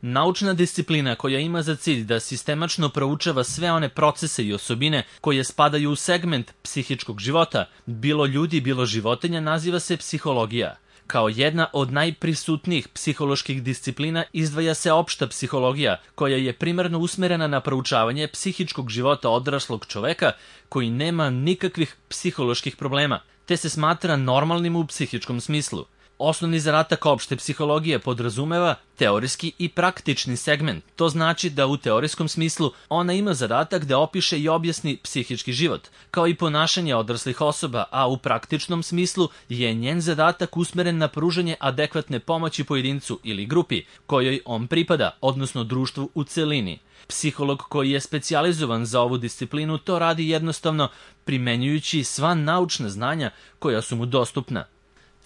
Naučna disciplina koja ima za cilj da sistemačno proučava sve one procese i osobine koje spadaju u segment psihičkog života, bilo ljudi, bilo životinja, naziva se psihologija. Kao jedna od najprisutnijih psiholoških disciplina izdvaja se opšta psihologija, koja je primarno usmerena na proučavanje psihičkog života odraslog čoveka koji nema nikakvih psiholoških problema, te se smatra normalnim u psihičkom smislu. Osnovni zadatak opšte psihologije podrazumeva teorijski i praktični segment. To znači da u teorijskom smislu ona ima zadatak da opiše i objasni psihički život, kao i ponašanje odraslih osoba, a u praktičnom smislu je njen zadatak usmeren na pružanje adekvatne pomoći pojedincu ili grupi kojoj on pripada, odnosno društvu u celini. Psiholog koji je specijalizovan za ovu disciplinu to radi jednostavno primenjujući sva naučna znanja koja su mu dostupna.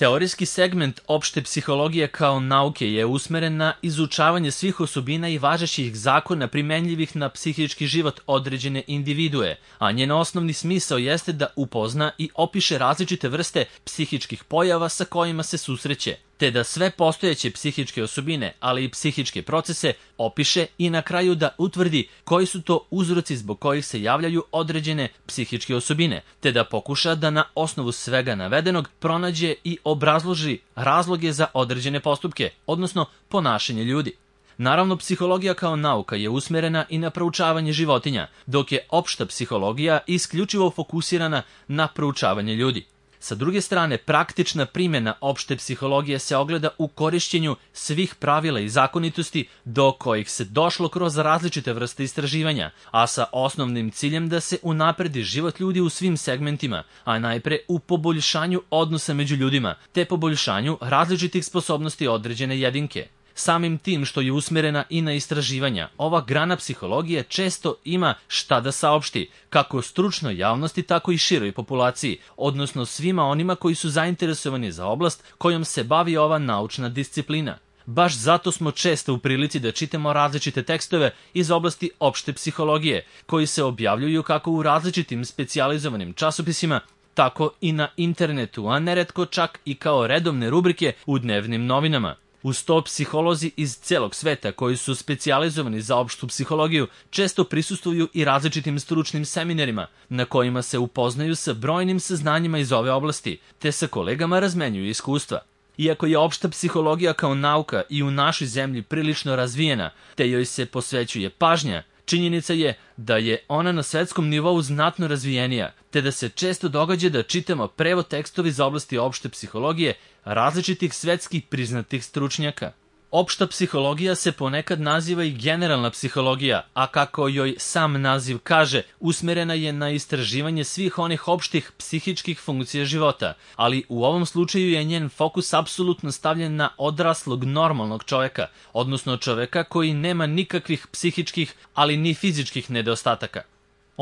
Teorijski segment opšte psihologije kao nauke je usmeren na izučavanje svih osobina i važećih zakona primenljivih na psihički život određene individue, a njen osnovni smisao jeste da upozna i opiše različite vrste psihičkih pojava sa kojima se susreće, te da sve postojeće psihičke osobine, ali i psihičke procese opiše i na kraju da utvrdi koji su to uzroci zbog kojih se javljaju određene psihičke osobine, te da pokuša da na osnovu svega navedenog pronađe i obrazloži razloge za određene postupke, odnosno ponašanje ljudi. Naravno, psihologija kao nauka je usmerena i na proučavanje životinja, dok je opšta psihologija isključivo fokusirana na proučavanje ljudi. Sa druge strane, praktična primjena opšte psihologije se ogleda u korišćenju svih pravila i zakonitosti do kojih se došlo kroz različite vrste istraživanja, a sa osnovnim ciljem da se unapredi život ljudi u svim segmentima, a najpre u poboljšanju odnosa među ljudima, te poboljšanju različitih sposobnosti određene jedinke. Samim tim što je usmerena i na istraživanja, ova grana psihologije često ima šta da saopšti, kako stručnoj javnosti, tako i široj populaciji, odnosno svima onima koji su zainteresovani za oblast kojom se bavi ova naučna disciplina. Baš zato smo često u prilici da čitamo različite tekstove iz oblasti opšte psihologije, koji se objavljuju kako u različitim specijalizovanim časopisima, tako i na internetu, a neretko čak i kao redovne rubrike u dnevnim novinama. Uz to, psiholozi iz celog sveta koji su specijalizovani za opštu psihologiju često prisustvuju i različitim stručnim seminarima na kojima se upoznaju sa brojnim saznanjima iz ove oblasti, te sa kolegama razmenjuju iskustva. Iako je opšta psihologija kao nauka i u našoj zemlji prilično razvijena, te joj se posvećuje pažnja, činjenica je da je ona na svetskom nivou znatno razvijenija, te da se često događa da čitamo prevod tekstova iz oblasti opšte psihologije različitih svetskih priznatih stručnjaka. Opšta psihologija se ponekad naziva i generalna psihologija, a kako joj sam naziv kaže, usmerena je na istraživanje svih onih opštih psihičkih funkcija života, ali u ovom slučaju je njen fokus apsolutno stavljen na odraslog normalnog čoveka, odnosno čoveka koji nema nikakvih psihičkih, ali ni fizičkih nedostataka.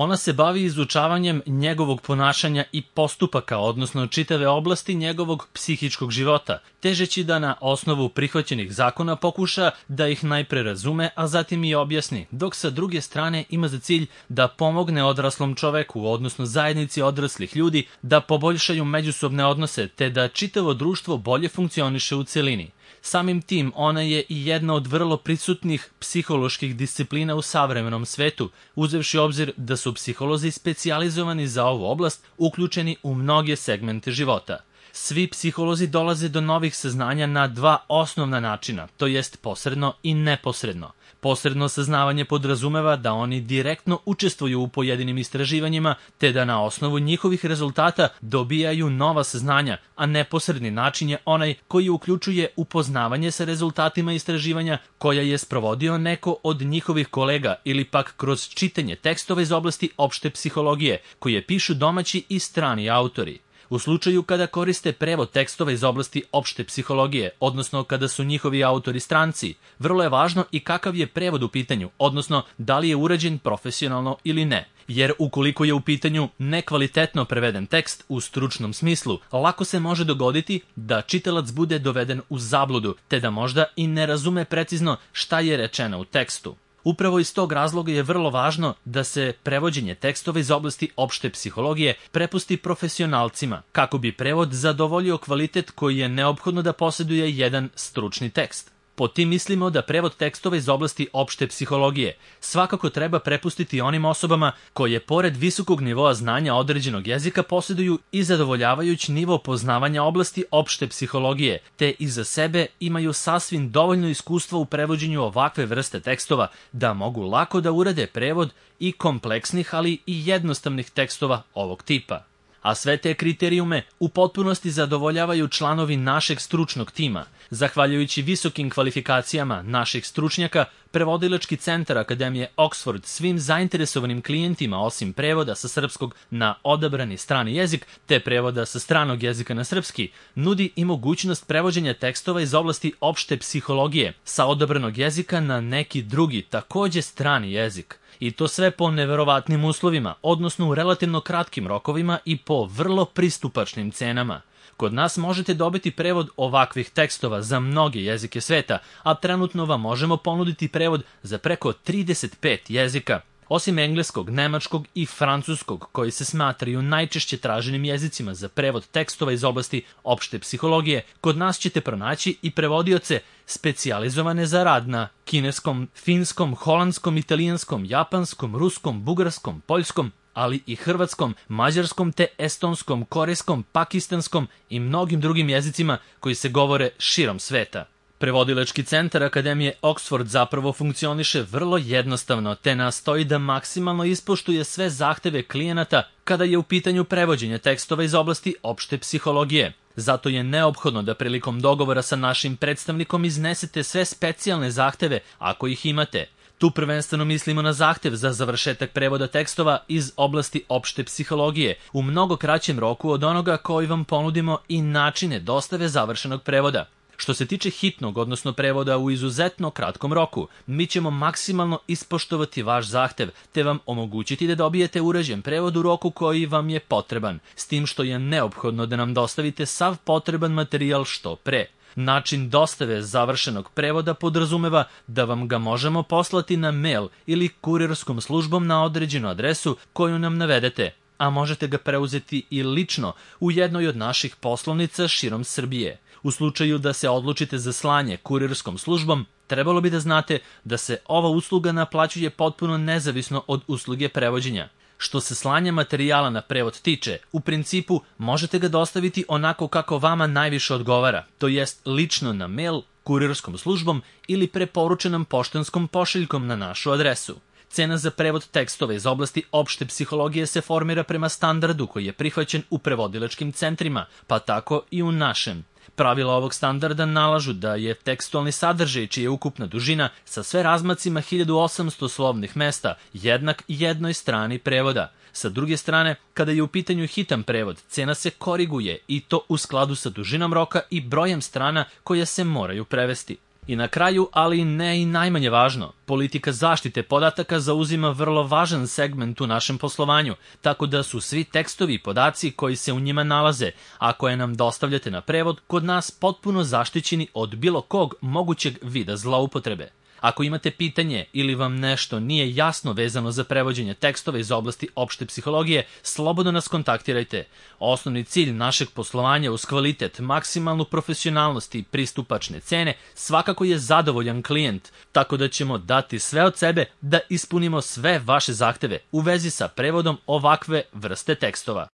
Ona se bavi izučavanjem njegovog ponašanja i postupaka, odnosno čitave oblasti njegovog psihičkog života, težeći da na osnovu prihvaćenih zakona pokuša da ih najpre razume, a zatim i objasni, dok sa druge strane ima za cilj da pomogne odraslom čoveku, odnosno zajednici odraslih ljudi, da poboljšaju međusobne odnose, te da čitavo društvo bolje funkcioniše u celini. Samim tim, ona je i jedna od vrlo prisutnih psiholoških disciplina u savremenom svetu, uzevši obzir da su psiholozi specijalizovani za ovu oblast uključeni u mnoge segmente života. Svi psiholozi dolaze do novih saznanja na dva osnovna načina, to jest posredno i neposredno. Posredno saznavanje podrazumeva da oni direktno učestvuju u pojedinim istraživanjima, te da na osnovu njihovih rezultata dobijaju nova saznanja, a neposredni način je onaj koji uključuje upoznavanje sa rezultatima istraživanja koja je sprovodio neko od njihovih kolega ili pak kroz čitanje tekstova iz oblasti opšte psihologije, koje pišu domaći i strani autori. U slučaju kada koriste prevod tekstova iz oblasti opšte psihologije, odnosno kada su njihovi autori stranci, vrlo je važno i kakav je prevod u pitanju, odnosno da li je urađen profesionalno ili ne. Jer ukoliko je u pitanju nekvalitetno preveden tekst u stručnom smislu, lako se može dogoditi da čitalac bude doveden u zabludu, te da možda i ne razume precizno šta je rečeno u tekstu. Upravo iz tog razloga je vrlo važno da se prevođenje tekstova iz oblasti opšte psihologije prepusti profesionalcima, kako bi prevod zadovoljio kvalitet koji je neophodno da posjeduje jedan stručni tekst. Pod tim mislimo da prevod tekstova iz oblasti opšte psihologije svakako treba prepustiti onim osobama koje pored visokog nivoa znanja određenog jezika posjeduju i zadovoljavajući nivo poznavanja oblasti opšte psihologije, te iza sebe imaju sasvim dovoljno iskustva u prevođenju ovakve vrste tekstova da mogu lako da urade prevod i kompleksnih, ali i jednostavnih tekstova ovog tipa. A sve te kriterijume u potpunosti zadovoljavaju članovi našeg stručnog tima. Zahvaljujući visokim kvalifikacijama naših stručnjaka, Prevodilački centar Akademije Oxford svim zainteresovanim klijentima, osim prevoda sa srpskog na odabrani strani jezik te prevoda sa stranog jezika na srpski, nudi i mogućnost prevođenja tekstova iz oblasti opšte psihologije sa odabranog jezika na neki drugi, takođe strani jezik. I to sve po neverovatnim uslovima, odnosno u relativno kratkim rokovima i po vrlo pristupačnim cenama. Kod nas možete dobiti prevod ovakvih tekstova za mnoge jezike sveta, a trenutno vam možemo ponuditi prevod za preko 35 jezika. Osim engleskog, nemačkog i francuskog, koji se smatraju najčešće traženim jezicima za prevod tekstova iz oblasti opšte psihologije, kod nas ćete pronaći i prevodioce specijalizovane za rad na kineskom, finskom, holandskom, italijanskom, japanskom, ruskom, bugarskom, poljskom, ali i hrvatskom, mađarskom te estonskom, korejskom, pakistanskom i mnogim drugim jezicima koji se govore širom sveta. Prevodilački centar Akademije Oxford zapravo funkcioniše vrlo jednostavno, te nastoji da maksimalno ispoštuje sve zahteve klijenata kada je u pitanju prevođenje tekstova iz oblasti opšte psihologije. Zato je neophodno da prilikom dogovora sa našim predstavnikom iznesete sve specijalne zahteve ako ih imate. Tu prvenstveno mislimo na zahtev za završetak prevoda tekstova iz oblasti opšte psihologije u mnogo kraćem roku od onoga koji vam ponudimo i načine dostave završenog prevoda. Što se tiče hitnog, odnosno prevoda u izuzetno kratkom roku, mi ćemo maksimalno ispoštovati vaš zahtev, te vam omogućiti da dobijete urađen prevod u roku koji vam je potreban, s tim što je neophodno da nam dostavite sav potreban materijal što pre. Način dostave završenog prevoda podrazumeva da vam ga možemo poslati na mail ili kurirskom službom na određenu adresu koju nam navedete, a možete ga preuzeti i lično u jednoj od naših poslovnica širom Srbije. U slučaju da se odlučite za slanje kurirskom službom, trebalo bi da znate da se ova usluga naplaćuje potpuno nezavisno od usluge prevođenja. Što se slanja materijala na prevod tiče, u principu možete ga dostaviti onako kako vama najviše odgovara, to jest lično na mail, kurirskom službom ili preporučenom poštanskom pošiljkom na našu adresu. Cena za prevod tekstova iz oblasti opšte psihologije se formira prema standardu koji je prihvaćen u prevodilačkim centrima, pa tako i u našem. Pravila ovog standarda nalažu da je tekstualni sadržaj čija je ukupna dužina sa sve razmacima 1800 slovnih mesta jednak jednoj strani prevoda. Sa druge strane, kada je u pitanju hitan prevod, cena se koriguje i to u skladu sa dužinom roka i brojem strana koje se moraju prevesti. I na kraju, ali ne i najmanje važno, politika zaštite podataka zauzima vrlo važan segment u našem poslovanju, tako da su svi tekstovi i podaci koji se u njima nalaze, a koje nam dostavljate na prevod, kod nas potpuno zaštićeni od bilo kog mogućeg vida zloupotrebe. Ako imate pitanje ili vam nešto nije jasno vezano za prevođenje tekstova iz oblasti opšte psihologije, slobodno nas kontaktirajte. Osnovni cilj našeg poslovanja uz kvalitet, maksimalnu profesionalnost i pristupačne cene svakako je zadovoljan klijent, tako da ćemo dati sve od sebe da ispunimo sve vaše zahteve u vezi sa prevodom ovakve vrste tekstova.